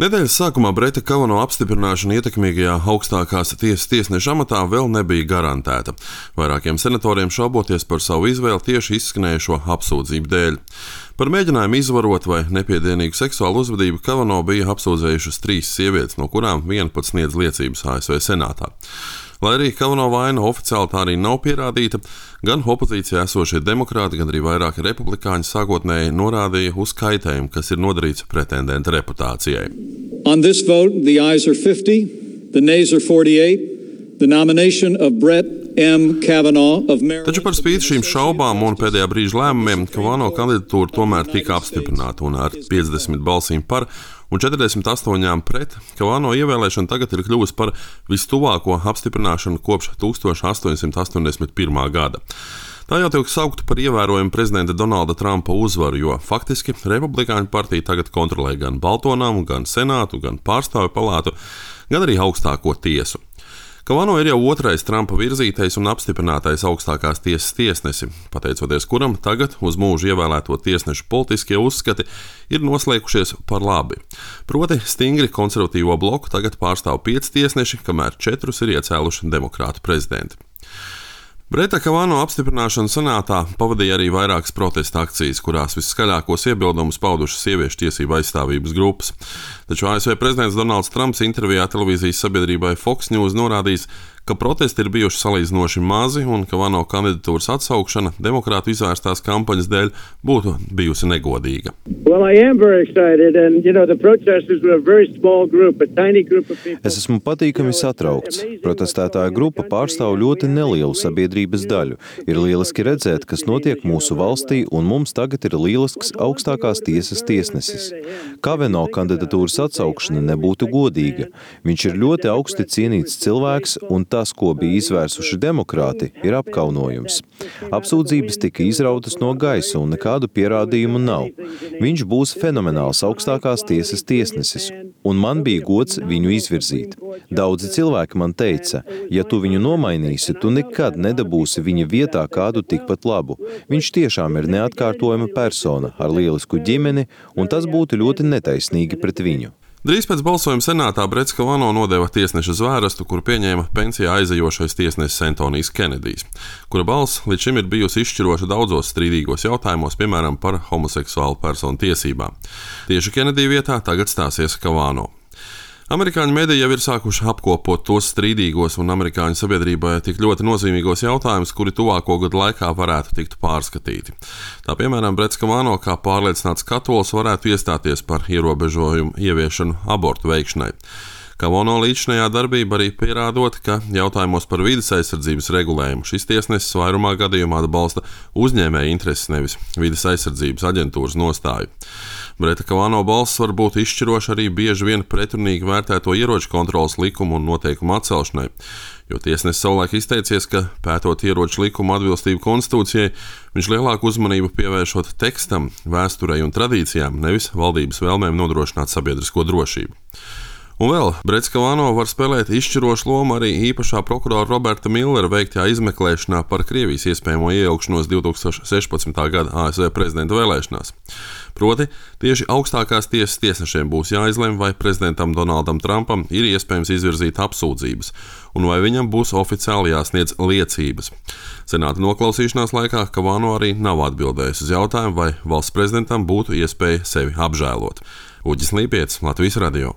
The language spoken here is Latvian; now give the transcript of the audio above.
Nedēļas sākumā Breta Kavano apstiprināšana ietekmīgajā augstākās tiesas tiesneša amatā vēl nebija garantēta. Vairākiem senatoriem šauboties par savu izvēli tieši izskanējušo apsūdzību dēļ. Par mēģinājumu izvarot vai nepiedienīgu seksuālu uzvedību Kavano bija apsūdzējušas 3 sievietes, no kurām viena pat sniedz liecības ASV senātā. Lai arī Kavano vaina oficiāli tā arī nav pierādīta, gan opozīcijā esošie demokrāti, gan arī vairāki republikāņi sākotnēji norādīja uz kaitējumu, kas ir nodarīts pretendenta reputācijai. On this vote, the ayes are 50, the nays are 48. The nomination of Brett M. Kavanaugh of Maryland. Taču par spīti šīm šaubām un pēdējā brīža lēmumiem Kavano kandidatūra tomēr tika apstiprināta un ar 50 balsīm par un 48 pret Kavano ievēlēšana tagad ir kļuvusi par vistuvāko apstiprināšanu kopš 1881. gada. Tā jau tiek saukta par ievērojumu prezidenta Donalda Trumpa uzvaru, jo faktiski Republikāņu partija tagad kontrolē gan Balto namu, gan Senātu, gan Pārstāvju palātu, gan arī augstāko tiesu. Kavano ir jau otrais Trumpa virzītais un apstiprinātais augstākās tiesas tiesnesi, pateicoties kuram tagad uz mūžu ievēlēto tiesnešu politiskie uzskati ir noslēgušies par labi. Proti, stingri konservatīvo bloku tagad pārstāv 5 tiesneši, kamēr 4 ir iecēluši demokrātu prezidenti. Breta Kavano apstiprināšana senātā pavadīja arī vairākas protesta akcijas, kurās visskaļākos iebildumus paudušas sieviešu tiesību aizstāvības grupas. Taču ASV prezidents Donalds Trumps intervijā televīzijas sabiedrībai Fox News norādījis, ka protesti ir bijuši salīdzinoši mazi un Kavano kandidatūras atsaukšana demokrātu izvērstās kampaņas dēļ būtu bijusi negodīga. Es esmu patīkami satraukts. Protestētāja grupa pārstāv ļoti nelielu sabiedrības daļu. Ir lieliski redzēt, kas notiek mūsu valstī, un mums tagad ir lielisks augstākās tiesas tiesnesis. Kavano kandidatūras atsaukšana nebūtu godīga. Viņš ir ļoti augsti cienīts cilvēks, un tas, ko bija izvērsuši demokrāti, ir apkaunojums. Apsūdzības tika izrautas no gaisa un nekādu pierādījumu nav. Viņš būs fenomenāls augstākās tiesas tiesnesis, un man bija gods viņu izvirzīt. Daudzi cilvēki man teica, ja tu viņu nomainīsi, tu nekad nedabūsi viņa vietā kādu tikpat labu. Viņš tiešām ir neatkārtojama persona ar lielisku ģimeni, un tas būtu ļoti netaisnīgi pret viņu. Drīz pēc balsojuma senātā Brets Kavano nodeva tiesneša zvērstu, kuru pieņēma pensijā aizejošais tiesnesis Antonijs Kenedijs, kura balss līdz šim ir bijusi izšķiroša daudzos strīdīgos jautājumos, piemēram, par homoseksuālu personu tiesībām. Tieši Kenedija vietā tagad stāsies Kavano. Amerikāņu mediji jau ir sākuši apkopot tos strīdīgos un amerikāņu sabiedrībai tik ļoti nozīmīgos jautājumus, kuri tuvāko gadu laikā varētu tikt pārskatīti. Tā piemēram, Brets Kavano kā pārliecināts katolis varētu iestāties par ierobežojumu ieviešanu abortu veikšanai. Kavano līdzinājā darbība arī pierādot, ka jautājumos par vides aizsardzības regulējumu šis tiesnesis vairumā gadījumā atbalsta uzņēmēju intereses, nevis vides aizsardzības aģentūras nostāju. Breta Kavano balss var būt izšķiroša arī bieži vien pretrunīgi vērtēto ieroču kontroles likumu un noteikumu atcelšanai, jo tiesnesis savulaik izteicies, ka pētot ieroču likumu atbilstību konstitūcijai, viņš lielāku uzmanību pievēršot tekstam, vēsturei un tradīcijām, nevis valdības vēlmēm nodrošināt sabiedrisko drošību. Un vēl Brets Kavano var spēlēt izšķirošu lomu arī īpašā prokurora Roberta Millera veiktajā izmeklēšanā par Krievijas iespējamo iejaukšanos 2016. gada ASV prezidenta vēlēšanās. Proti, tieši augstākās tiesas tiesnešiem būs jāizlemj, vai prezidentam Donaldam Trumpam ir iespējams izvirzīt apsūdzības, un vai viņam būs oficiāli jāsniedz liecības. Senāta noklausīšanās laikā Kavano arī nav atbildējis uz jautājumu, vai valsts prezidentam būtu iespēja sevi apžēlot. Uģis Līpietis, Latvijas radio.